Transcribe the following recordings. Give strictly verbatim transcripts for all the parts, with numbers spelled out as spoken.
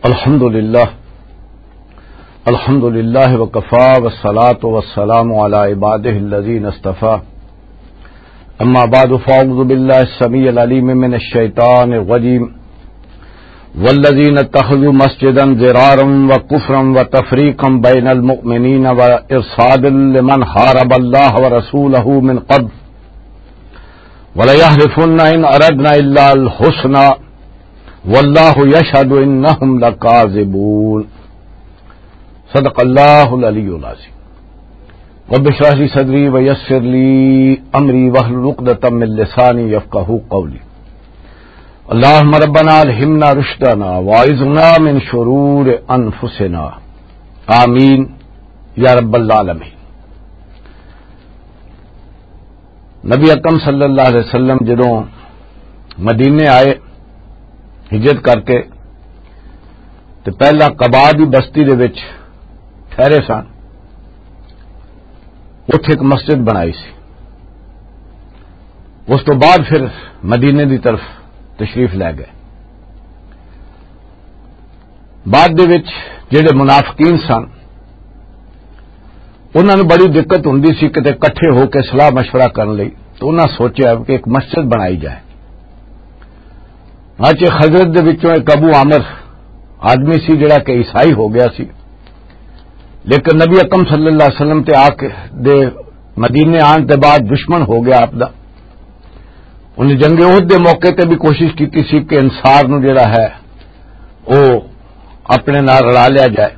الحمد لله. الحمد لله وكفى، والصلاة والسلام على عباده الذين اصطفى. أما بعد، فأعوذ بالله السميع العليم من الشيطان الرجيم. والذين اتخذوا مسجدا ضرارا وكفرا وتفريقا بين المؤمنين وإرصادا لمن حارب الله ورسوله من قبل وليحلفن إن أردنا إلا الحسنى والله يشهد إنهم لكاذبون. صدق الله العلي العظيم. رب اشرح لي صدري ويسر لي أمري واحلل عقدة من لساني يفقهوا قولي. اللهم ربنا ألهمنا رشدنا وأعذنا من شرور أنفسنا. آمين يا رب العالمين. نبی اکرم صلی اللہ علیہ وسلم جدوں مدینے آئے ہجرت کر کے، تے پہلا قبا دی بستی دے وچ ٹھہرے سن، اتھے ایک مسجد بنائی سی۔ اس تو بعد پھر مدینے دی طرف تشریف لے گئے۔ بعد دے وچ جڑے منافقین سن، انہاں نوں بڑی دقت ہوندی سی کتے اکٹھے ہو کے صلاح مشورہ کرن لئی، تو انہاں سوچیا کہ ایک مسجد بنائی جائے۔ اچ خزرج دے وچوں ایک ابو عامر آدمی سی، جڑا کہ عیسائی ہو گیا سی، لیکن نبی اکرم صلی اللہ علیہ وسلم تے آ کے دے مدینے آن تے بعد دشمن ہو گیا آپ دا۔ انہیں جنگ احد دے موقع تے بھی کوشش کیتی سی کہ انصار نو جڑا ہے، او اپنے نال رلا لیا جائے۔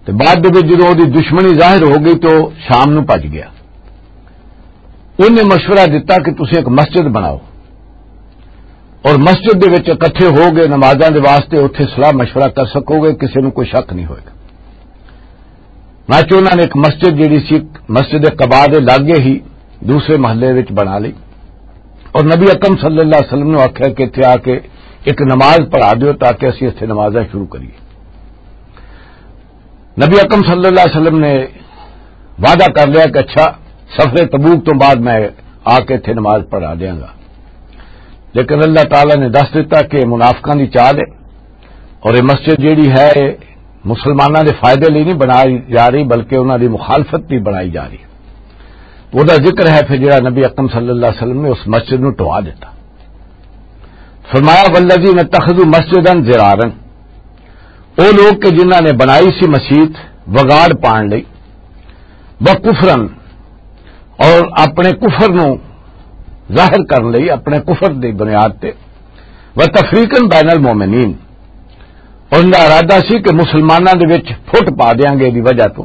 تے بعد دے وچ جدوں اودی دشمنی ظاہر ہو گئی تو شام نو بھج گیا۔ انہیں مشورہ دتا کہ تسی ایک مسجد بناؤ اور مسجد دے وچ اکٹھے ہو گئے نمازاں دے واسطے اتھے صلاح مشورہ کر سکو گے، کسی نو کوئی شک نہیں ہوئے گا۔ ناچو انہاں نے ایک مسجد جڑی سی مسجد قباء دے لاگے ہی دوسرے محلے وچ بنا لئی، اور نبی اکرم صلی اللہ علیہ وسلم نے آکھیا کہ اتھے آ کے ایک نماز پڑھا دیو تاکہ اسی اتھے نمازاں شروع کریے۔ نبی اکرم صلی اللہ علیہ وسلم نے وعدہ کر لیا کہ اچھا، سفر تبوک تو بعد میں آ کے اتھے نماز پڑھا دیاں گا، لیکن اللہ تعالیٰ نے دس دیتا کہ منافقاں دی چال ہے، اور یہ مسجد جیڑی ہے، یہ مسلماناں دے فائدے لئی نہیں بنائی جا رہی، بلکہ انہاں دی مخالفت بھی بنائی جا رہی۔ تو وہ ذکر ہے پھر جڑا نبی اکرم صلی اللہ علیہ وسلم نے اس مسجد نو ٹوا دیتا۔ فرمایا، "والذین اتخذوا مسجدا ضرارا"، وہ لوگ کہ جنہاں نے بنائی سی مسجد وگاڑ پان لئی، "وکفرا"، اور اپنے کفر نو ظاہر کرن لئی، اپنے کفر دی بنیاد تے، "وتفریقا بین المؤمنین"، اور ان دا ارادہ سی کہ مسلماناں دے وچ پھٹ پا دیاں گے دی وجہ تو،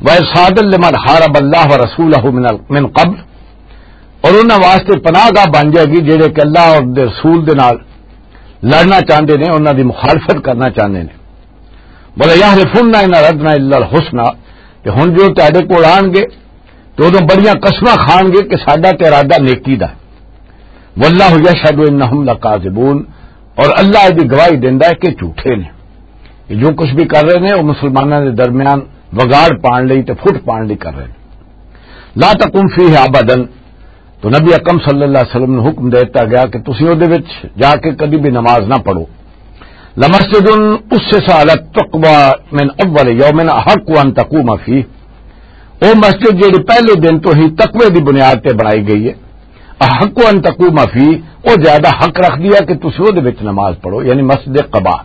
"وارصادا لمن حارب اللہ ورسولہ من ال-، من قبل"، اور انہاں واسطے پناہ گاہ بن جائے گی جڑے کہ اللہ اور دے رسول دے نال لڑنا چاہندے نے، انہاں دی مخالفت کرنا چاہندے نے۔ "وَلَيَحْلِفُنَّ إِنْ أَرَدْنَا إِلَّا الْحُسْنَى"، تے ہن جو تہاڈے کول آن گے تے اودوں بڑیاں قسماں کھان گے کہ ساڈا تے ارادہ نیکی دا۔ "وَاللَّهُ يَشْهَدُ إِنَّهُمْ لَكَاذِبُونَ"، اور اللہ دی گواہی دیندا ہے کہ جھوٹے نے۔ یہ جو کچھ بھی کر رہے نے، وہ مسلماناں دے درمیان وگاڑ پان لئی تے پھٹ پان لئی کر رہے نے۔ "لا تقم فیہ ابدا"، تو نبی اکرم صلی اللہ علیہ وسلم نے حکم دیتا گیا کہ تسی او دے وچ جا کے کدی بھی نماز نہ پڑھو۔ "لمسجد اسس علی التقوی من اول یوم احق ان تقوم فیہ"، او مسجد جیڑی پہلے دن تو ہی تقوی دی بنیاد تے بنائی گئی ہے، "احق ان تقوم فیہ"، او زیادہ حق رکھ دیا کہ تسی او دے وچ نماز پڑھو، یعنی مسجد قباء۔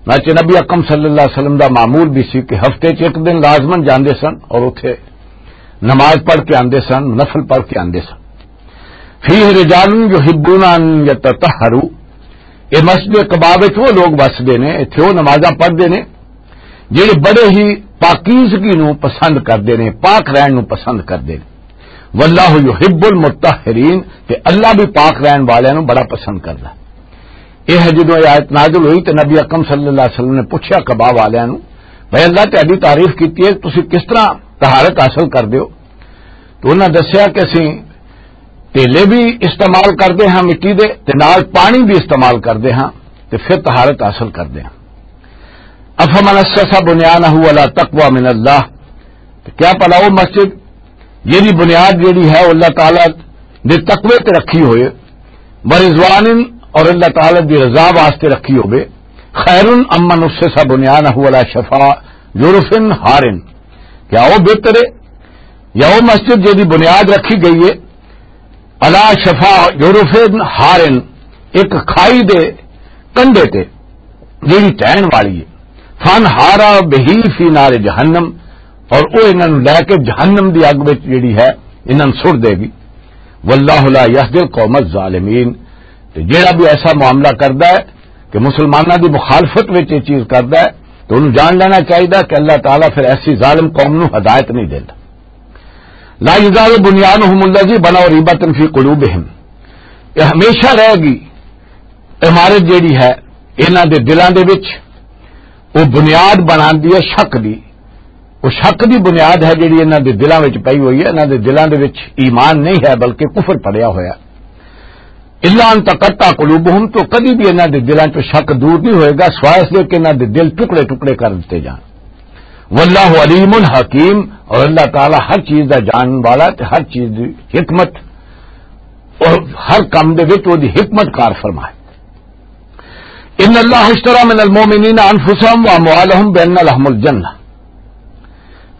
ناچے نبی اکرم صلی اللہ علیہ وسلم دا معمول بھی سی کہ ہفتے چ ایک دن لازماً جاندے سن اور اتھے نماز پڑھ کے آندے سن، نفل پڑھ کے آندے سن۔ "فیہ رجال یحبون ان یتطہروا"، اے مسجد قباء وچ وہ لوگ وسدے نے، اتھے وہ نمازاں پڑھدے نے جڑے بڑے ہی پاکیزگی نو پسند کردے نے، پاک رہن نو پسند کردے نے۔ "واللہ یحب المطہرین"، تے اللہ بھی پاک رہن والیاں نو بڑا پسند کردا۔ یہ جدوں یہ آیت نازل ہوئی تے نبی اکرم صلی اللہ علیہ وسلم نے پوچھا قباء والیاں نو، "بھائی، اللہ تہاڈی تعریف کیتی ہے، تسی کس طرح طہارت حاصل کردے ہو؟" تو انہاں دسیا کہ اسی تیلے بھی استعمال کردے ہاں مٹی دے، تے نال پانی بھی استعمال کردے ہاں، تے پھر طہارت حاصل کردے ہاں۔ "افمن اسس بنیانہ علی تقوی من اللہ"، تے کیا پلا وہ مسجد جیڑی بنیاد جیڑی ہے، وہ اللہ تعالیٰ دے تقوی تے رکھی ہوئے، "ورضوان"، اور اللہ تعالیٰ دی رضا واسطے رکھی ہوئے، خیر امن اسس بنیانہ علی شفا جرف ہارن، کیا وہ بہتر ہے یا وہ مسجد جس کی بنیاد رکھی گئی ہے علی شفا جرف ہارن، ایک کھائی دے کنڈے تے، جیڑی ٹہن والی ہے، فن ہارا بہی فی نار جہنم، اور وہ انہاں نوں لے کے جہنم دی اگ وچ جیڑی ہے، انہاں نوں سٹ دے گی۔ واللہ لا یہدی القوم الظالمین۔ تے جیڑا بھی ایسا معاملہ کردا ہے کہ مسلماناں دی مخالفت وچ یہ چیز کردا ہے، تو انہوں جان لینا چاہیے کہ اللہ تعالیٰ پھر ایسی ظالم قوم نوں ہدایت نہیں دیندا۔ لا یزال بنیانہم الذی بنوا ریبۃ فی قلوبہم، یہ ہمیشہ رہے گی عمارت جیڑی ہے انہاں دے دلاں دے وچ، وہ بنیاد بناندی ہے شک دی۔ وہ شک دی بنیاد ہے جیڑی انہاں دے دلاں وچ پئی ہوئی ہے، انہاں دے دلاں دے وچ ایمان نہیں ہے بلکہ کفر پڑیا ہویا۔ الا ان تقطع قلوبہم، تو کدی بھی انہاں دے دلاں چوں شک دور نہیں ہوئے گا، سوائے اس دے کہ انہاں دے دل ٹکڑے ٹکڑے کر دتے جان۔ واللہ علیم حکیم، اور اللہ تعالیٰ ہر چیز دا جانن والا تے ہر چیز دی حکمت اور ہر کم دے وچ وہ دی حکمت کار فرمائے۔ ان اللہ اشترى من المؤمنین انفسهم واموالهم بان لهم الجنہ،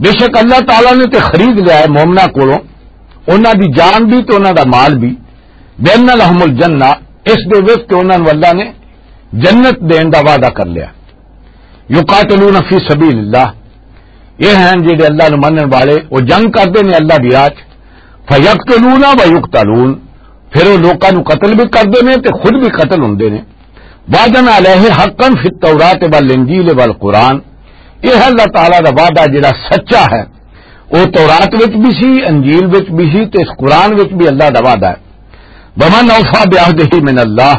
بے شک اللہ تعالیٰ نے تے خرید لیا ہے مومناں کولوں انہاں دی جان بھی تے انہاں دا مال بھی، بان لهم الجنہ، اس دے وچ کہ انہاں نوں اللہ نے جنت دین دا وعدہ کر لیا۔ یقاتلون فی سبیل اللہ، یہ ہیں جڑے اللہ نو منن والے، وہ جنگ کردے نے اللہ دی راہ چ۔ فیقتلون و یقتلون، پھر وہ لوکاں نو قتل بھی کردے نے تے خود بھی قتل ہوندے نے۔ وعدن علیہ حقا فی التوراۃ والانجیل والقرآن، یہ ہے اللہ تعالیٰ دا وعدہ جڑا سچا ہے، وہ تورات وچ بھی سی، انجیل وچ بھی سی تے اس قرآن وچ بھی اللہ دا وعدہ ہے۔ ومن اوفی بعہدہ من اللہ،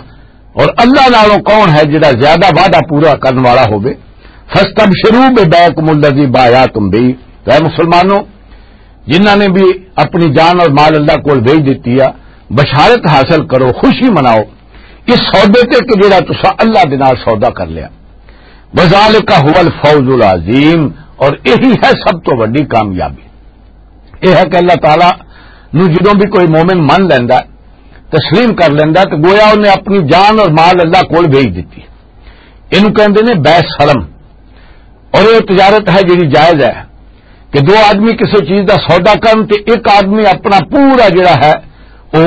اور اللہ نالوں کون ہے جڑا زیادہ وعدہ پورا کرن والا ہوے؟ فاستبشروا ببیعکم الذی بایعتم بہ، تو اے مسلمانوں، جنہاں نے بھی اپنی جان اور مال اللہ کول بھیج دتی ہے، بشارت حاصل کرو، خوشی مناؤ اس سودے تے کہ جڑا تساں اللہ دے نال سودا کر لیا۔ وذالک هو الفوز العظیم، اور یہی ہے سب تو بڑی کامیابی۔ یہ ہے کہ اللہ تعالیٰ نو جدوں بھی کوئی مومن من لیندا ہے، تسلیم کر لیندا ہے، تو گویا انہیں اپنی جان اور مال اللہ کول بھیج دتی۔ اینوں کہندے نے بیع سلم، اور یہ تجارت ہے جڑی جائز ہے کہ دو آدمی کسی چیز دا سودا کرن تے ایک آدمی اپنا پورا جڑا ہے وہ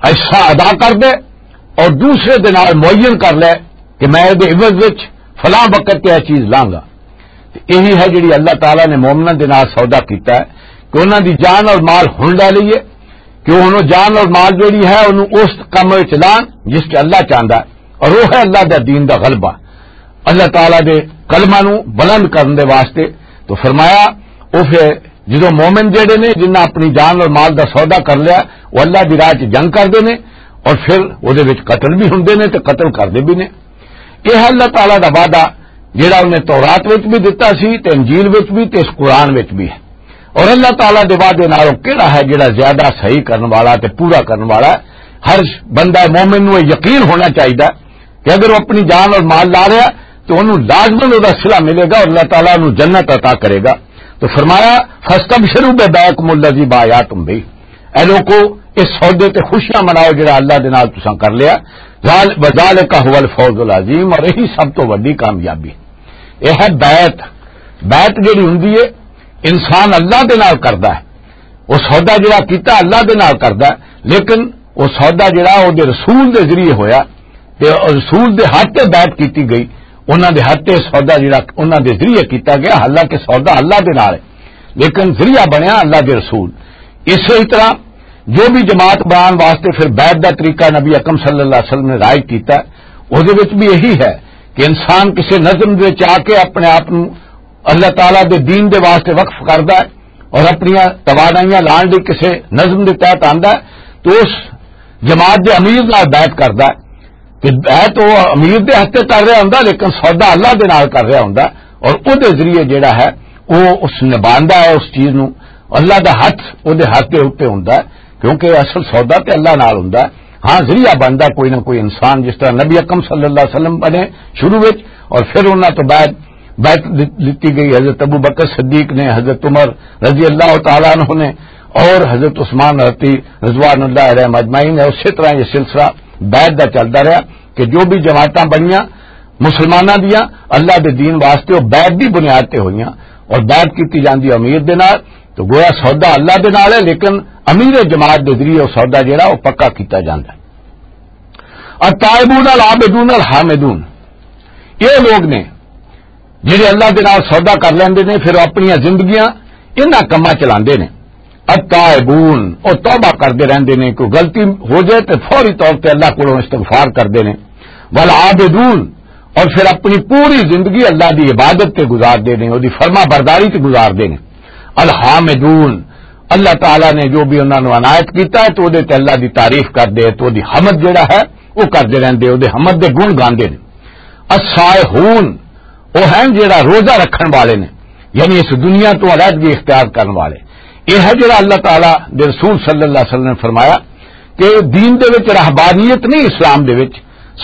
حصہ ادا کر دے اور دوسرے دے نال معین کر لے کہ میں دے عوض وچ فلاں وقت تے یہ چیز لاں گا۔ تے یہی ہے جڑی اللہ تعالیٰ نے مومناں دے نال سودا کیتا ہے کہ انہاں دی جان اور مال ہن لے لئیے، کہ انہوں جان اور مال جڑی ہے انہوں اس کم وچ لان جس تے اللہ چاہندا ہے، اور وہ ہے اللہ دا دین دا غلبہ، اللہ تعالیٰ دے کلمہ نو بلند کرن دے واسطے۔ تو فرمایا، او پھر جدوں مومن جڑے نے جنہاں اپنی جان اور مال دا سودا کر لیا، وہ اللہ دی راہ چ جنگ کردے نے اور پھر او دے وچ قتل بھی ہوندے نے تے قتل کردے بھی نے۔ یہ ہے اللہ تعالیٰ دا وعدہ جڑا انہیں تورات وچ بھی دتا سی تے انجیل وچ بھی تے اس قرآن وچ بھی ہے۔ اور اللہ تعالیٰ دے وعدے نالوں کیڑا ہے جڑا زیادہ صحیح کرن والا تے پورا کرن والا ہے؟ ہر بندہ مومن نوں یہ یقین ہونا چاہیدا کہ اگر وہ اپنی جان اور مال لا رہا ہے تو انہوں لازماً وہ صلہ ملے گا اور اللہ تعالیٰ انہوں جنت عطا کرے گا۔ تو فرمایا، فاستبشروا ببیعکم الذی بایعتم بہ، اے لوکو، اس سودے تے خوشیاں مناؤ جڑا اللہ دے نال تساں کر لیا۔ ذال-، وذالک هو الفوز العظیم، اور یہی سب تو وڈی کامیابی۔ یہ ہے بیعت۔ بیعت جڑی ہوندی ہے، انسان اللہ دے نال کردا ہے، وہ سودا جڑا کیتا اللہ دے نال کردا ہے، لیکن وہ سودا جڑا او دے رسول دے ذریعے ہویا تے رسول دے ہاتھ تے بیعت کیتی گئی، انہاں دے ہاتھ تے سودا جڑا انہاں دے ذریعے کیتا گیا، حالانکہ سودا اللہ دے نال ہے، لیکن ذریعہ بنیا اللہ دے رسول۔ اسی طرح جو بھی جماعت بنان واسطے پھر بیعت دا طریقہ نبی اکرم صلی اللہ علیہ وسلم نے رائج کیتا ہے، اس دے وچ بھی یہی ہے کہ انسان کسی نظم دے وچ آ کے اپنے آپ نوں اللہ تعالیٰ دے دین دے واسطے وقف کردا ہے اور اپنیاں توانائیاں لان لئی کسے نظم دے تحت آندا ہے، تو اس جماعت دے امیر نال بیعت کردا ہے۔ تے بیعت او امیر دے ہتھ تے کر رہا ہوندا، لیکن سودا اللہ دے نال کر رہا ہوندا، اور او دے ذریعے جڑا ہے، او اس نبھاندا ہے اس چیز نوں۔ اللہ دا ہتھ او دے ہتھ دے اوتے ہوندا ہے، کیونکہ اصل سودا تے اللہ نال ہوندا ہے۔ ہاں، ذریعہ بندا کوئی نہ کوئی انسان، جس طرح نبی اکرم صلی اللہ علیہ وسلم بنے شروع وچ، اور پھر انہاں تو بعد بیعت دت-، دتی گئی۔ حضرت ابو بکر صدیق نے، حضرت عمر رضی اللہ تعالیٰ عنہ نے، اور حضرت عثمان رضی رضوان اللہ علیہ اجمعین ہے۔ اسی طرح یہ سلسلہ بیعت دا چلدا رہا کہ جو بھی جماعتاں بنیاں، مسلماناں دیاں اللہ دے دین واسطے وہ بیعت دی بنیاد تے ہوئیاں، اور بیعت کیتی جاندی امیر دے نال، تو گویا سودا اللہ دے نال ہے، لیکن امیر جماعت دے ذریعے وہ سودا جڑا وہ پکا کیتا جاندا ہے۔ التائبون العابدون الحامدون، یہ لوگ نے جڑے اللہ دے نال سودا کر لیندے نے، پھر وہ اپنیاں زندگیاں انہاں کماں چلاندے نے۔ التائبون، وہ توبہ کردے رہندے نے، کوئی غلطی ہو جائے تے فوری طور تے اللہ کولوں استغفار کردے نے۔ والعابدون، اور پھر اپنی پوری زندگی اللہ دی عبادت تے گزار دے نے، وہ دی فرما برداری تے گزار دے نے۔ الحامدون، اللہ تعالیٰ نے جو بھی انہاں نوں عنایت کیتا ہے تو وہ دے تے اللہ دی تعریف کردے، تو وہ دی حمد جڑا ہے وہ کردے رہندے، وہ دے حمد دے گن گاندے نے۔ الصائحون، وہ ہیں جڑا روزہ رکھن والے نے، یعنی اس دنیا تو علیحدگی اختیار کرن والے۔ یہ ہے جڑا اللہ تعالیٰ دے رسول صلی اللہ علیہ وسلم نے فرمایا کہ دین دے وچ رہبانیت نہیں اسلام دے وچ،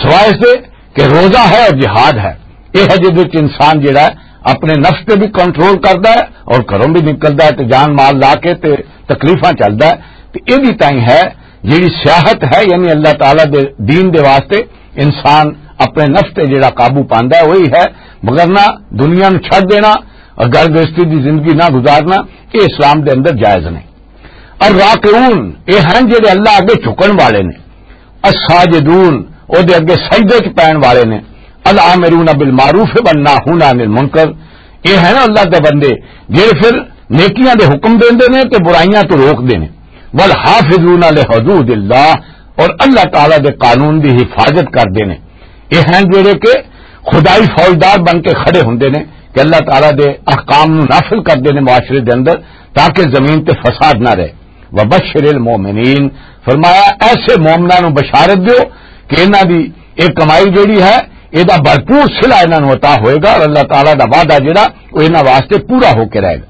سوائے اس دے کہ روزہ ہے اور جہاد ہے۔ یہ ہے جس وچ انسان جڑا ہے اپنے نفس تے بھی کنٹرول کردا ہے اور گھروں بھی نکلدا ہے تے جان مال لا کے تے تکلیفاں چلدا ہے۔ تے یہ بھی تائیں ہے جڑی سیاحت ہے، یعنی اللہ تعالیٰ دے دین دے واسطے انسان اپنے نفس تے جڑا قابو پاندا ہے وہی ہے، مگر نہ دنیا نو چھڈ دینا اور گھر گرستی دی زندگی نہ گزارنا، یہ اسلام دے اندر جائز نہیں۔ الراکعون، یہ ہیں جڑے اللہ اگے جھکن والے نے۔ الساجدون، او دے اگے سجدے چ پین والے نے۔ الامرون بالمعروف والناہون عن المنکر، یہ ہیں نا اللہ دے بندے جڑے پھر نیکیاں دے حکم دیندے نے تے برائیاں تو روک دے نے۔ والحافظون لحدود اللہ، اور اللہ تعالیٰ دے قانون دی حفاظت کردے نے۔ یہ ہیں جڑے کہ خدائی فوجدار بن کے کھڑے ہوندے نے کہ اللہ تعالیٰ دے احکام نو نافذ کردے نے معاشرے دے اندر، تاکہ زمین تے فساد نہ رہے۔ وبشر المؤمنین، فرمایا ایسے مومناں نو بشارت دیو کہ انہاں دی ایک کمائی جڑی ہے، اے دا بھرپور صلہ انہاں نو عطا ہوئے گا، اور اللہ تعالیٰ دا وعدہ جڑا، وہ انہاں واسطے پورا ہو کے رہے گا۔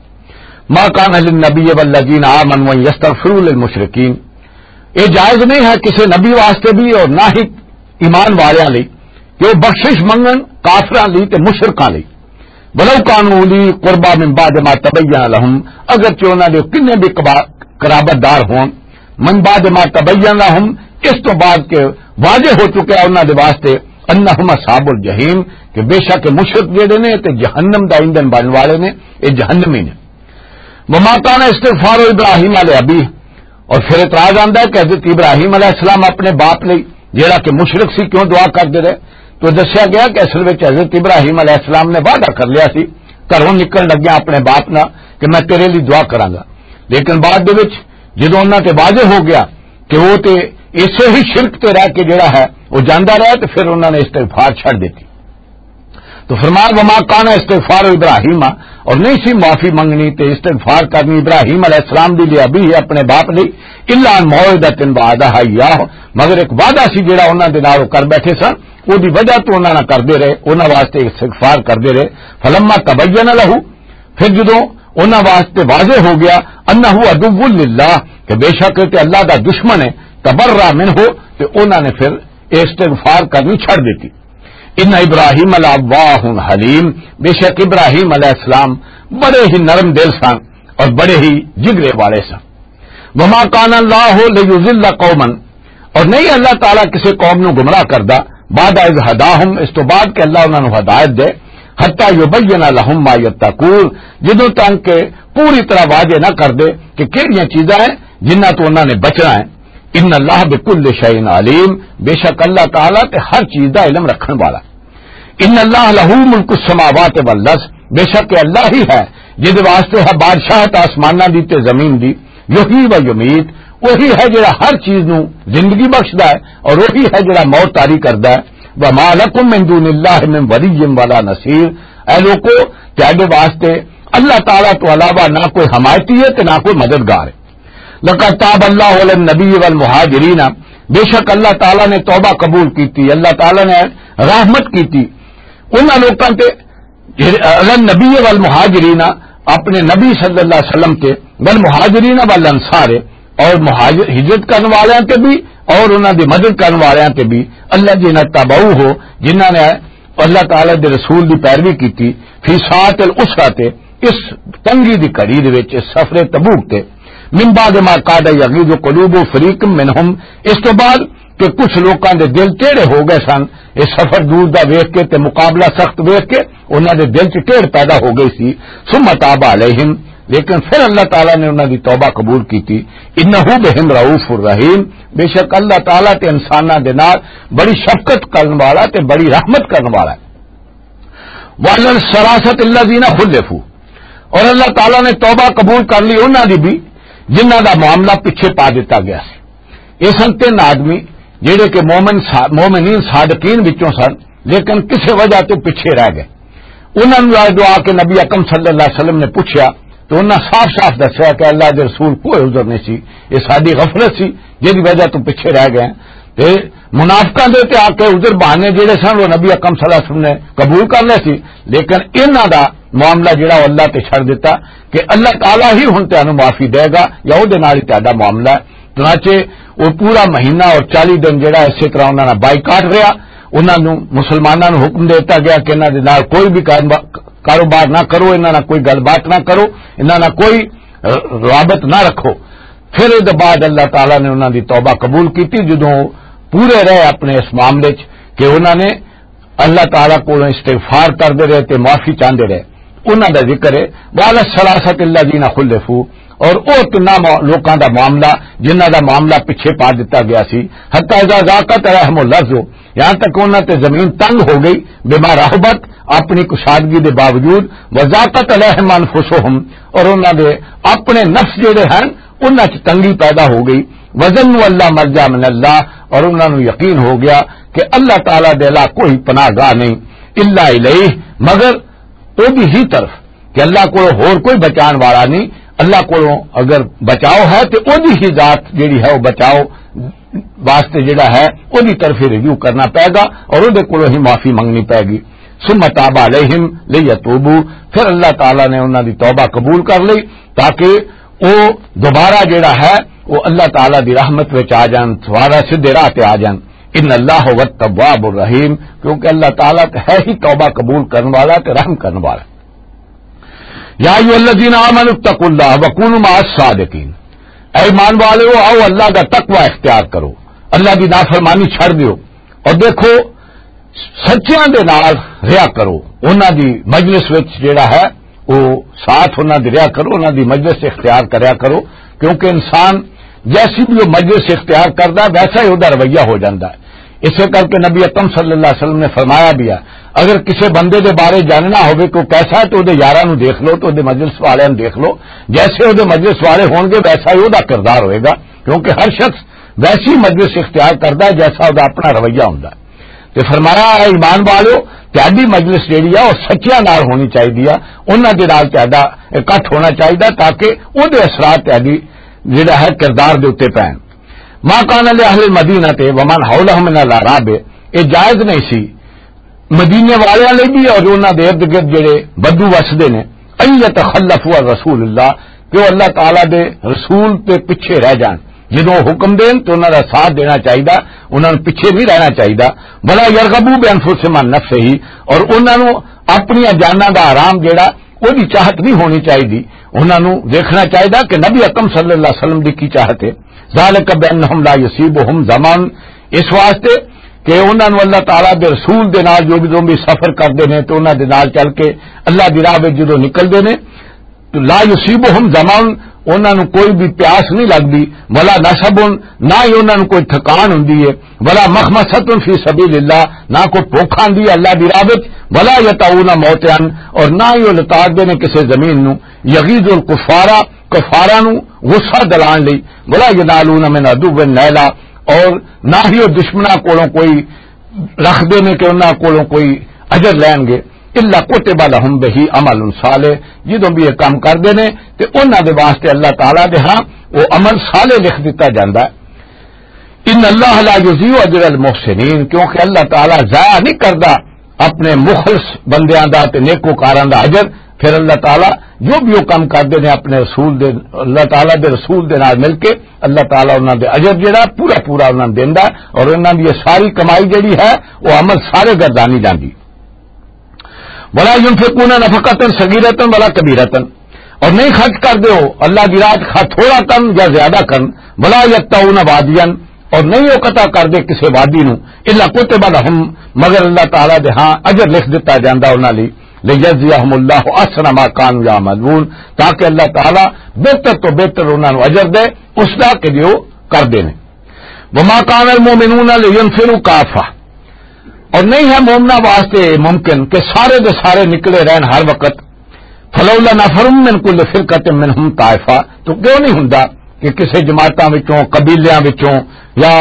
ما کان للنبی والذین آمنوا ان یستغفروا للمشرکین، یہ جائز نہیں ہے کسی نبی واسطے بھی اور نہ ہی ایمان والیاں لئی کہ وہ بخشش منگن کافراں لئی تے مشرکاں لئی۔ ولو کانوا اولی قربا من بعد ما تبین لهم، اگرچہ انہاں دے کنے بھی قبا-، قرابت دار ہون، من بعد ما تبین لهم، اس تو بعد کہ واضح ہو چکا ہے انہاں دے واسطے، انہم اصحاب الجحیم، کہ بے شک مشرک جڑے نے تے جہنم دا ایندھن بنن والے نے، اے جہنمی نے۔ وما کان استغفار ابراہیم لابیہ، اور پھر اعتراض آندا ہے کہ حضرت ابراہیم علیہ السلام اپنے باپ لئی، جیڑا کہ مشرک سی، کیوں دعا کردے رہے؟ تو دسیا گیا کہ اصل وچ حضرت ابراہیم علیہ السلام نے وعدہ کر لیا سی گھروں نکلن لگیا اپنے باپ نال کہ میں تیرے لئی دعا کراں گا، لیکن بعد دے وچ جدوں انہاں تے واضح ہو گیا کہ وہ تے اسے ہی شرک تے رہ کے جیڑا ہے وہ جاندا رہا، تو پھر انہاں نے استغفار چھڈ دتی۔ تو فرمایا، وما کان استغفار ابراہیم، اور نہیں سی معافی منگنی تے استغفار کرنی ابراہیم علیہ السلام دی لے ابی ہے اپنے باپ دی، الا ان موعدۃ وعدہ ایاہ، مگر ایک وعدہ سی جڑا انہاں دے نال وہ کر بیٹھے سن، او دی وجہ تو انہاں نال کردے رہے، انہاں واسطے استغفار کردے رہے۔ فلما تبین لہ، پھر جدوں انہاں واسطے واضح ہو گیا، انہ عدو للہ، کہ بے شک تے اللہ دا دشمن ہے، تبرا منہ، تے انہاں نے پھر استغفار کرنی چھڈ دتی۔ ان ابراہیم لأواہ حلیم، بے شک ابراہیم علیہ السلام بڑے ہی نرم دل سن اور بڑے ہی جگرے والے سن۔ وما کان اللہ لیضل قوما، اور نہیں اللہ تعالیٰ کسی قوم نو گمراہ کردا، بعد اذ ہداہم، اس تو بعد کہ اللہ انہاں نو ہدایت دے، حتی یبین لہم ما یتقون، جدوں تک کہ پوری طرح واضح نہ کر دے کہ کہڑیاں چیزاں ہیں جنہاں تو انہاں نے بچنا ہے۔ ان اللہ بکل شیء علیم، بے شک اللہ تعالیٰ تے ہر چیز دا علم رکھن والا۔ ان اللہ لہ ملک السماوات والارض، بے شک اللہ ہی ہے جس دے واسطے ہے بادشاہت آسماناں دی تے زمین دی۔ یحیی و یمیت، وہی ہے جڑا ہر چیز نو زندگی بخشدا ہے اور وہی ہے جڑا موت طاری کردا ہے۔ وما لکم من دون اللہ من ولی ولا نصیر، اے لوکو، تہاڈے واسطے اللہ تعالیٰ تو علاوہ نہ کوئی حمایتی ہے تے نہ کوئی مددگار ہے۔ لقد تاب اللہ علی النبی والمہاجرین، بے شک اللہ تعالیٰ نے توبہ قبول کیتی، اللہ تعالیٰ نے رحمت کیتی انہاں لوکاں تے، جڑے علی النبی والمہاجرین، اپنے نبی صلی اللہ علیہ وسلم تے، والمہاجرین والانصار، اور مہاجر، ہجرت کرن والیاں تے بھی اور انہاں دی مدد کرن والیاں تے بھی، الذین اتبعوہ، جنہاں نے اللہ تعالیٰ دے رسول دی پیروی کیتی، فی ساعت العسرہ، اس تنگی دی گھڑی دے وچ، اس سفر تبوک تے، من بعد ما کاد یغیظ قلوب فریق منہم، اس تو بعد کہ کچھ لوکاں دے دل ٹیڑے ہو گئے سن، یہ سفر دور دا ویکھ کے تے مقابلہ سخت ویکھ کے انہاں دے دل چ ٹیڑھ پیدا ہو گئی سی۔ ثم تاب علیہم، لیکن پھر اللہ تعالیٰ نے انہاں دی توبہ قبول کیتی۔ انہ بہم رؤوف الرحیم، بے شک اللہ تعالیٰ تے انساناں دے نال بڑی شفقت کرن والا تے بڑی رحمت کرن والا ہے۔ وَعَلَى الثَّلَاثَةِ الَّذِينَ خُلِّفُوا، اور اللہ تعالیٰ نے توبہ قبول کر لی انہاں دی بھی، جنہاں دا معاملہ پیچھے پا دتا گیا سی۔ یہ سن تین آدمی جڑے کہ مومن سا-، مومنین صادقین وچوں سن، لیکن کسے وجہ تو پیچھے رہ گئے۔ انہاں نوں آ دعا کہ نبی اکرم صلی اللہ علیہ وسلم نے پوچھیا، تو انہاں صاف صاف دسیا کہ اللہ دے رسول، کوئی عذر نہیں سی، یہ ساری غفلت سی جہدی وجہ تو پیچھے رہ گئے ہیں۔ تے منافقاں دے تے آ کے عذر بہانے جڑے سن، وہ نبی اکرم صلی اللہ علیہ وسلم نے قبول کر لیا سی، لیکن انہاں دا معاملہ جڑا وہ اللہ تے چھڑ دیتا کہ اللہ تعالیٰ ہی ہن تانوں معافی دے گا یا او دے نال ہی تہاڈا معاملہ ہے۔ چنانچہ وہ پورا مہینہ اور چالیس دن جڑا اسے طرح انہاں دا بائیکاٹ رہیا۔ انہاں نوں، مسلماناں نوں حکم دے دتا گیا کہ انہاں دے نال کوئی بھی کاروبا-، کاروبار نہ کرو، انہاں نال کوئی گل بات نہ کرو، انہاں نال کوئی ر-، رابط نہ رکھو۔ پھر اس دے بعد اللہ تعالیٰ نے انہاں دی توبہ قبول کیتی، جدوں پورے رہے اپنے اس معاملے چ کہ انہاں نے اللہ تعالیٰ کولوں استغفار کردے رہے تے معافی چاہندے رہے۔ انہاں دا ذکر ہے، وَعَلَى الثَّلَاثَةِ الَّذِينَ خُلِّفُوا، اور او تناں مو-، لوکاں دا معاملہ جنہاں دا معاملہ پیچھے پا دتا گیا سی، حَتَّى إِذَا ضَاقَتْ عَلَيْهِمُ الْأَرْضُ، یہاں تک انہاں تے زمین تنگ ہو گئی، بِمَا رَحُبَتْ، اپنی کشادگی دے باوجود، وَضَاقَتْ عَلَيْهِمْ أَنْفُسُهُمْ، اور انہاں دے اپنے نفس جڑے ہیں انہاں چ تنگی پیدا ہو گئی۔ وَظَنُّوا أَنْ لَا مَلْجَأَ مِنَ اللَّهِ، اور انہاں نوں یقین ہو گیا کہ اللہ تعالیٰ دے علاوہ کوئی پناہ گاہ نہیں، إِلَّا إِلَيْهِ، مگر او دی ہی طرف، کہ اللہ کو ہور کوئی بچان والا نہیں۔ اللہ کو اگر بچاؤ ہے تو او دی ہی ذات جڑی ہے وہ بچاؤ واسطے جڑا ہے، او دی طرف ہی رجوع کرنا پائے گا اور او دے کولوں ہی معافی منگنی پائے گی۔ ثم تاب علیہم لیتوبوا، پھر اللہ تعالیٰ نے انہاں دی توبہ قبول کر لئی تاکہ او دوبارہ جڑا ہے وہ اللہ تعالیٰ دی رحمت وچ آ جان، دوبارہ سیدھے راہ تے آ جان۔ ان اللہ هو التواب الرحیم، کیونکہ اللہ تعالیٰ تے ہے ہی توبہ قبول کرن والا تے رحم کرن والا۔ یا ایھا الذین آمنوا اتقوا اللہ وکونوا مع الصادقین، اے ایمان والو، آؤ اللہ دا تقوی اختیار کرو، اللہ دی نافرمانی چھڑ دیو، اور دیکھو سچیاں دے نال رہیا کرو، انہاں دی مجلس وچ جڑا ہے وہ ساتھ انہاں دی رہیا کرو، انہاں دی مجلس اختیار کریا کرو، کیونکہ انسان جیسی بھی وہ مجلس اختیار کردا ہے ویسا ہی وہ رویہ ہو جاندا ہے۔ اسے کر کے نبی اکرم صلی اللہ علیہ وسلم نے فرمایا بھی ہے، اگر کسی بندے دے بارے جاننا ہوئے کہ وہ کیسا ہے تو وہ یاراں نوں دیکھ لو، تو وہ مجلس والے نوں دیکھ لو، جیسے وہ مجلس والے ہون گے ویسا ہی وہ کردار ہوئے گا، کیونکہ ہر شخص ویسی مجلس اختیار کردا ہے جیسا وہ اپنا رویہ ہوندا ہے۔ تے فرمایا، اے ایمان والو، تہاڈی مجلس جیڑی آ، او سچیاں نال ہونی چاہیدی آ، انہاں دے نال تہاڈا اکٹھ ہونا چاہیدا تاکہ او دے اثرات تہاڈی جیڑا ہے کردار دے اُتے پین۔ ما کان لأہل المدینہ تے ومن حولہم من الاعراب، اے جائز نہیں سی مدینے والیاں لئی بھی اور انہاں دے ارد گرد جڑے بدو وسدے نے، ان یتخلفوا عن رسول اللہ، کہ وہ اللہ تعالیٰ دے رسول تے پیچھے رہ جان۔ جدوں وہ حکم دین تو انہاں دا ساتھ دینا چاہیدا، انہاں نوں پیچھے نہیں رہنا چاہیدا۔ ولا یرغبوا بانفسہم عن نفسہ، اور انہاں نوں اپنی جاناں دا آرام جڑا، وہ دی چاہت نہیں ہونی چاہیدی۔ انہاں نوں دیکھنا چاہیدا کہ نبی اکرم صلی اللہ علیہ وسلم دی کی چاہت ہے۔ ذالک بانہم لا یصیبہم ظمأ، اس واسطے کہ انہاں نوں اللہ تعالیٰ دے رسول دے نال جو بھی، جو بھی سفر کردے نے تو انہاں دے نال چل کے اللہ دی راہ وچ جدوں نکلدے نے، تو لا یصیبہم ظمأ، انہاں نوں کوئی بھی پیاس نہیں لگدی، ولا نصب، نہ ہی انہاں نوں کوئی تھکان ہوندی ہے، ولا مخمصۃ فی سبیل اللہ، نہ کوئی بھوک آندی ہے اللہ دی راہ وچ، ولا یطئون موطئا، اور نہ ہی وہ لتاڑدے نے کسے زمین نوں، یغیظ الکفار، کفاراں نوں غصہ دلان لئی، ولا ینالون من عدو نیلا، اور نہ ہی وہ دشمناں کولوں کوئی رکھدے نے کہ انہاں کولوں کوئی اجر لین گے۔ الا کتب لہم بہ عمل صالح، جدوں بھی یہ کام کردے نے تے انہاں دے واسطے اللہ تعالیٰ دے ہاں وہ عمل صالح لکھ دتا جاندا ہے۔ ان اللہ لا یضیع اجر المحسنین، کیونکہ اللہ تعالیٰ ضائع نہیں کردا اپنے مخلص بندیاں دا تے نیکوکاراں دا اجر۔ پھر اللہ تعالیٰ جو بھی وہ کام کردے نے اپنے رسول دے، اللہ تعالیٰ دے رسول دے نال مل کے اللہ تعالیٰ انہاں دے اجر جڑا پورا پورا انہاں نوں دیندا ہے، اور انہاں دی یہ ساری کمائی جڑی ہے وہ عمل سارے گردانی جاندی۔ ولا ينفقون نفقة صغيرة ولا كبيرة، اور نہیں خرچ کردے وہ اللہ دی راہ خواہ تھوڑا کن یا زیادہ کن، ولا يقطعون واديا، اور نہیں وہ قطع کردے کسے وادی نوں، الا کتب لہم، مگر اللہ تعالیٰ دے ہاں اجر لکھ دتا جاندا انہاں لئی، لیجزیہم اللہ احسن ما کانوا یعملون، تاکہ اللہ تعالیٰ بہتر تو بہتر انہاں نوں اجر دے اس دا کہ جو کردے نے۔ وما کان المؤمنون لینفروا کافہ، اور نہیں ہے مومناں واسطے ممکن کہ سارے دے سارے نکلے رہن ہر وقت۔ فلولا نفر من کل فرقۃ منہم طائفہ، تو کیوں نہیں ہوندا کہ کسے جماعتاں وچوں، قبیلیاں وچوں یا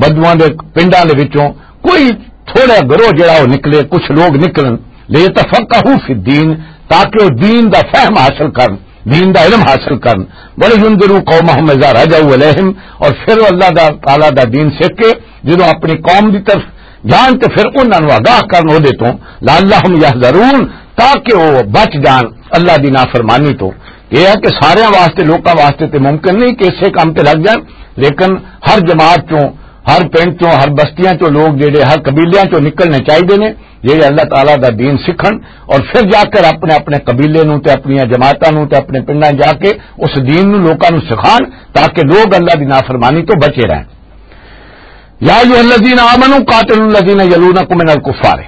بدواں دے پنڈاں دے وچوں کوئی تھوڑا گروہ جڑا وہ نکلے، کچھ لوگ نکلن، لیتفقہوا فی الدین، تاکہ وہ دین دا فہم حاصل کرن، دین دا علم حاصل کرن۔ وَلِيُنذِرُوا قَوْمَهُمْ إِذَا رَجَعُوا إِلَيْهِمْ، اور پھر وہ اللہ دا، تعالیٰ دا دین سیکھ کے جدوں اپنی قوم دی طرف جان تے پھر انہاں نوں آگاہ کرن اودے توں، لَعَلَّهُمْ يَحْذَرُونَ، تاکہ وہ بچ جان اللہ دی نافرمانی تو۔ یہ ہے کہ سارے واسطے، لوکاں واسطے تے ممکن نہیں کہ اسے کام تے لگ جان، لیکن ہر جماعت چوں، ہر پنڈ چوں، ہر بستیاں چوں لوگ جڑے ہر قبیلیاں چوں نکلنے چاہیے نے، جڑے اللہ تعالیٰ دا دین سکھن اور پھر جا کر اپنے اپنے قبیلے نوں تے اپنی جماعتاں نوں تے اپنے پنڈاں جا کے اس دین نوں لوکاں نوں سکھان، تاکہ لوگ اللہ دی نافرمانی تو بچے رہن۔ یا ایھا الذین آمنوا قاتلوا الذین یلونکم من الکفار،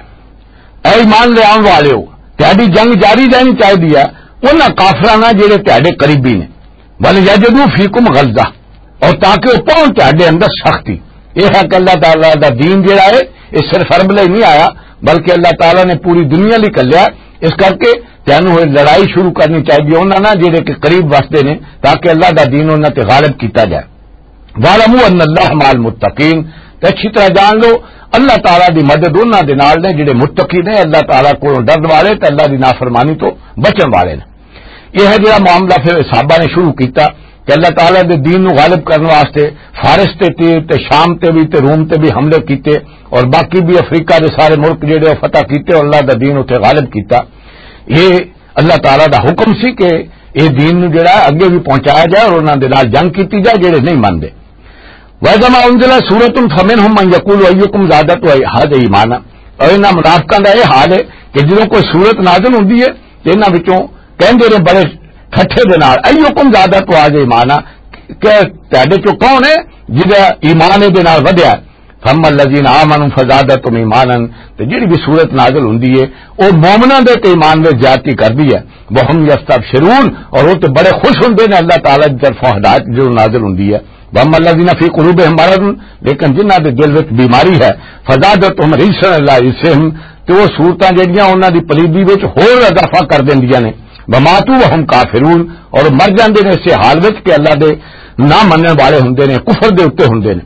اے ایمان لے آن والے ہو، تہاڈی جنگ جاری رہنی چاہیے ہے انہاں کافراں نال جڑے تہاڈے قریبی نے، ول یجدوا فیکم غلظہ، اور تاکہ وہ پاؤں تہاڈے اندر سختی۔ یہ ہے کہ اللہ تعالیٰ دا دین جڑا ہے، یہ صرف عرب لئی نہیں آیا، بلکہ اللہ تعالیٰ نے پوری دنیا لئی کلیا۔ اس کر کے تینوں یہ لڑائی شروع کرنی چاہیے انہاں نال جڑے کہ قریب وسدے نے، تاکہ اللہ دا دین انہاں تے غالب کیتا جائے۔ وَاعْلَمُوا أَنَّ اللَّهَ مَعَ الْمُتَّقِينَ، تے اچھی طرح جان لو، اللہ تعالیٰ دی مدد انہاں دے نال نے جڑے متقی نے، اللہ تعالیٰ کولوں ڈرن والے تے اللہ دی نافرمانی تو بچن والے نے۔ یہ ہے جڑا معاملہ پھر صحابہ نے شروع کیتا کہ اللہ تعالیٰ دے دین نو غالب کرن واسطے فارس تے، تے، تے شام تے بھی تے روم تے بھی حملے کیتے اور باقی بھی افریقہ دے سارے ملک جڑے وہ فتح کیتے اور اللہ دا دین اتھے غالب کیتا۔ یہ اللہ تعالیٰ دا حکم سی کہ یہ دین نو جڑا ہے اگے بھی پہنچایا جائے اور انہاں دے نال جنگ کیتی جائے جڑے نہیں مندے۔ وَإِذَا مَا أُنْزِلَتْ سُورَةٌ فَمِنْهُمْ مَنْ يَقُولُ أَيُّكُمْ زَادَتْهُ هَٰذِهِ إِيمَانًا۔ اور انہاں منافقاں دا یہ حال ہے کہ جدوں کوئی سورت نازل ہوندی ہے تے انہاں وچوں کہندے نے بڑے ٹھٹھے دے نال، "أَيُّكُمْ زَادَتْهُ هَٰذِهِ إِيمَانًا"، کہ تہاڈے چوں کون ہے جدا ایمان دے نال ودھیا؟ فَأَمَّا الَّذِينَ آمَنُوا فَزَادَتْهُمْ إِيمَانًا، تے جڑی بھی سورت نازل ہوندی ہے، او مومناں دے تے ایمان وچ زیادتی کردی ہے۔ وَهُمْ يَسْتَبْشِرُونَ، اور او تے بڑے خوش ہوندے نے اللہ تعالیٰ دی طرفوں ہدایت جو نازل ہوندی ہے۔ وَأَمَّا الَّذِينَ فِي قُلُوبِهِمْ مَرَضٌ، لیکن جنہاں دے دل وچ بیماری ہے، فَزَادَتْهُمْ رِجْسًا إِلَىٰ رِجْسِهِمْ، تے وہ صورتاں جڑیاں انہاں دی پلیدی وچ ہور اضافہ کر دیندیاں نے۔ وَمَاتُوا وَهُمْ كَافِرُونَ، اور مر جاندے نے اسے حال وچ کہ اللہ دے نہ منن والے ہوندے نے، کفر دے اُتے ہوندے نے۔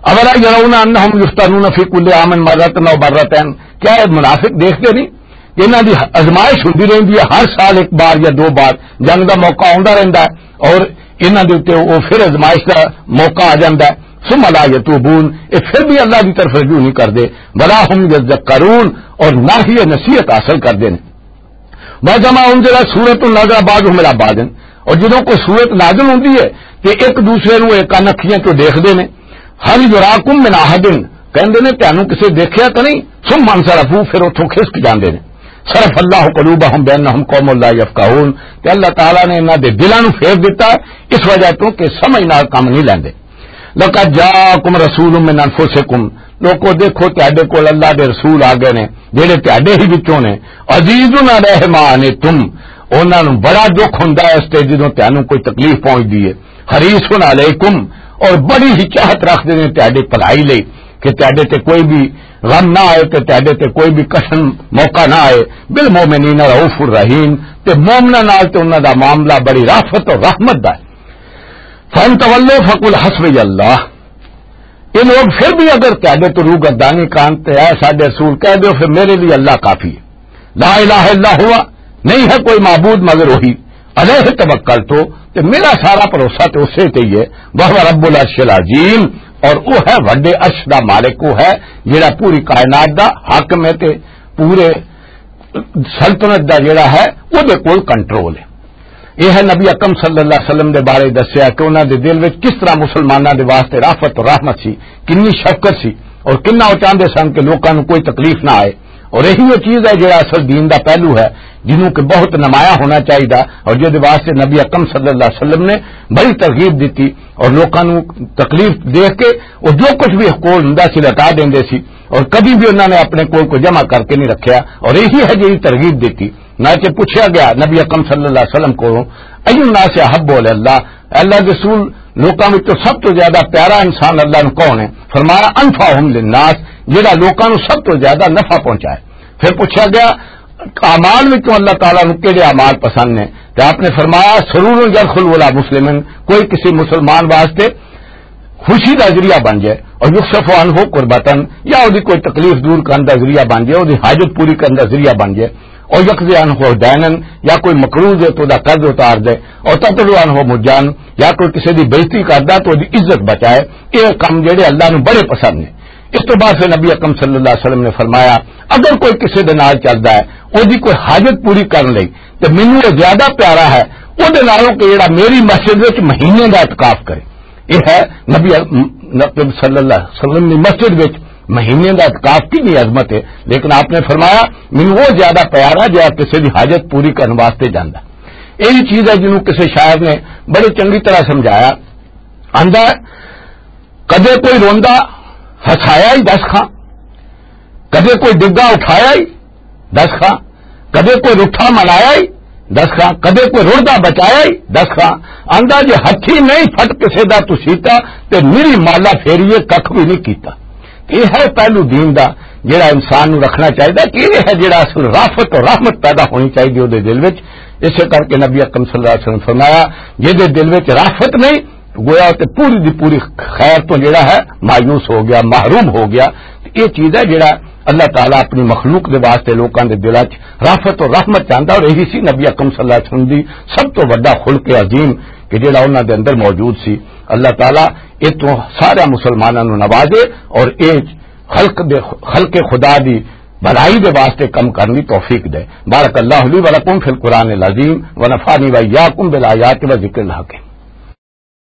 أَوَلَا يَرَوْنَ أَنَّهُمْ يُفْتَنُونَ فِي كُلِّ عَامٍ مَرَّةً أَوْ مَرَّتَيْنِ، کیا یہ منافق دیکھتے نہیں کہ انہاں دی آزمائش ہوندی رہندی ہے، ہر سال ایک بار یا دو بار جنگ دا موقع آوندا رہندا ہے اور انہاں دے اُتے وہ پھر آزمائش دا موقع آ جاندا ہے۔ ثُمَّ لَا يَتُوبُونَ، یہ پھر بھی اللہ دی طرف رجوع نہیں کردے۔ وَلَا هُمْ يَذَّكَّرُونَ، اور نہ ہی یہ نصیحت حاصل کردے نے۔ وَإِذَا مَا أُنْزِلَتْ سُورَةٌ نَظَرَ بَعْضُهُمْ إِلَىٰ بَعْضٍ، اور جدوں کوئی سورت نازل ہوندی ہے تے ایک دوسرے نوں ایک کن اکھیاں چوں دیکھدے نے۔ هَلْ يَرَاكُمْ مِنْ أَحَدٍ، کہندے نے تانوں کسے دیکھیا تاں نہیں؟ ثُمَّ انْصَرَفُوا، پھر اتھوں کھسک جاندے نے۔ صَرَفَ اللَّهُ قُلُوبَهُمْ بِأَنَّهُمْ قَوْمٌ لَا يَفْقَهُونَ، تے اللہ تعالیٰ نے انہاں دے دلاں نوں پھیر دتا اس وجہ تو کہ سمجھ نال کم نہیں لیندے۔ لَقَدْ جَاءَكُمْ رَسُولٌ مِّنْ أَنْفُسِكُمْ، لوکو دیکھو تہاڈے کول اللہ دے رسول آ گئے نے جڑے تہاڈے ہی وچوں نے۔ عَزِيزٌ عَلَيْهِ مَا عَنِتُّمْ، انہاں نوں بڑا دکھ ہوندا ہے اس تے جدوں تہانوں کوئی تکلیف پہنچدی ہے۔ حَرِيصٌ عَلَيْكُمْ، اور بڑی ہی چاہت رکھدے نے تہاڈے بھلائی لئی کہ تہاڈے تے کوئی بھی غم نہ آئے تے تہاڈے تے کوئی بھی کٹھن موقع نہ آئے۔ بِالْمُؤْمِنِينَ رَءُوفٌ رَحِيمٌ، تے مومناں نال تے انہاں دا معاملہ بڑی رافت اور رحمت دا ہے۔ فَإِنْ تَوَلَّوْا فَقُلْ حَسْبِيَ اللَّهُ، یہ لوگ پھر بھی اگر تہاڈے تو روح گردانی کان تے اے ساڈے رسول کہہ دیو، پھر میرے لیے اللہ کافی ہے۔ لَا إِلَٰهَ إِلَّا هُوَ، نہیں ہے کوئی معبود مگر وہی۔ عَلَيْهِ تَوَكَّلْتُ، تے میرا سارا بھروسہ تے اسے تے ہی ہے۔ وَهُوَ رَبُّ الْعَرْشِ الْعَظِيمِ، اور وہ ہے وڈے عرش دا مالک، وہ ہے جڑا پوری کائنات دا حاکم ہے تے پورے سلطنت دا جڑا ہے، او دے کول کنٹرول ہے۔ یہ ہے نبی اکرم صلی اللہ علیہ وسلم دے بارے دسیا کہ انہاں دے دل وچ کس طرح مسلماناں دے واسطے رافت اور رحمت سی، کنی شفقت سی، اور کنا وہ چاہندے سن کہ لوکاں نوں کوئی تکلیف نہ آئے۔ اور یہی وہ چیز ہے جڑا اصل دین دا پہلو ہے، جنوں کہ بہت نمایاں ہونا چاہیے، اور جس واسطے نبی اکرم صلی اللہ علیہ وسلم نے بڑی ترغیب دیتی، اور لوکاں نوں تکلیف دیکھ کے وہ جو کچھ بھی کول ہوندا سی، لٹا دیندے سی، اور کبھی بھی انہاں نے اپنے کول کو جمع کر کے نہیں رکھیا، اور یہی ہے جڑی ترغیب دیتی۔ نہ کہ پوچھا گیا نبی اکرم صلی اللہ علیہ وسلم کو، "ای الناس احب الی اللہ"، اے اللہ دے رسول، لوکاں وچوں سب تو زیادہ پیارا انسان اللہ نوں کون ہے؟ فرمایا، "انفعہم للناس"، جڑا لوکاں نوں سب تو زیادہ نفع پہنچائے۔ پھر پوچھا گیا، "اعمال وچوں اللہ تعالیٰ نوں کہڑے اعمال پسند نے؟" تے آپ نے فرمایا، "سرور یدخل ولا مسلمن"، کوئی کسی مسلمان واسطے خوشی دا ذریعہ بن جائے، اور یکشف عنہ کربتن، یا وہ کوئی تکلیف دور کرنے دا ذریعہ بن جائے، وہ حاجت پوری کرنے دا ذریعہ بن جائے، اور یقضی عنہ دینن، یا کوئی مقروض ہے تو دا قرض اتار دے، اور تطلع عنہ مجان، یا کوئی کسی دی بےعزتی کردا تو دی عزت بچائے۔ یہ کم جڑے اللہ نو بڑے پسند نے۔ اس تو بعد پھر نبی اکرم صلی اللہ علیہ وسلم نے فرمایا، اگر کوئی کسی دے نال چلدا ہے، او دی کوئی حاجت پوری کرن لئی، تے مینوں وہ زیادہ پیارا ہے او دے نالوں کہ جڑا میری مسجد وچ مہینے دا اعتکاف کرے۔ یہ ہے نبی، نبی صلی اللہ علیہ وسلم دی مسجد وچ مہینے دا اعتکاف کتنی عظمت ہے، لیکن آپ نے فرمایا، مینوں وہ زیادہ پیارا جڑا کسی دی حاجت پوری کرن واسطے جاندا۔ یہی چیز ہے جنوں کسی شاعر نے بڑے چنگی طرح سمجھایا۔ آندا ہے، کدے کوئی روندا ہسایا ہی دس خاں، کدے کوئی ڈگا اٹھایا ہی دس خاں، کدے کوئی رٹھا منایا ہی دس خاں، کدے کوئی رڑدا بچایا ہی دس خاں۔ آندا جے ہتھی نہیں پھٹ کسے دا تسیتا، تے میری مالا پھیریے ککھ بھی نہیں کیتا۔ یہ ہے پہلو دین دا، جڑا انسان نو رکھنا چاہیے کہ یہ ہے جڑا اصل رافت اور رحمت پیدا ہونی چاہیے اودے دل وچ۔ اسے کر کے نبی اکرم صلی اللہ علیہ وسلم فرمایا، جے دے دل وچ رافت نہیں، گویا تے پوری دی پوری خیر تو جڑا ہے مایوس ہو گیا، محروم ہو گیا۔ تے یہ چیز ہے جڑا اللہ تعالیٰ اپنی مخلوق دے واسطے لوکاں دے دلاں چ رافت اور رحمت چاہندا، اور یہی سی نبی اکرم صلی اللہ علیہ وسلم دی سب تو وڈا خلق عظیم کہ جڑا انہاں دے اندر موجود سی۔ اللہ تعالیٰ یہ تو سارے مسلماناں نوں نوازے اور یہ خلق دے، خلق خدا دی بھلائی دے واسطے کم کرن دی توفیق دے۔ بارک اللہ لی و لکم فی القرآن العظیم و نفعنی و ایاکم بالآیات و ذکر الحکیم۔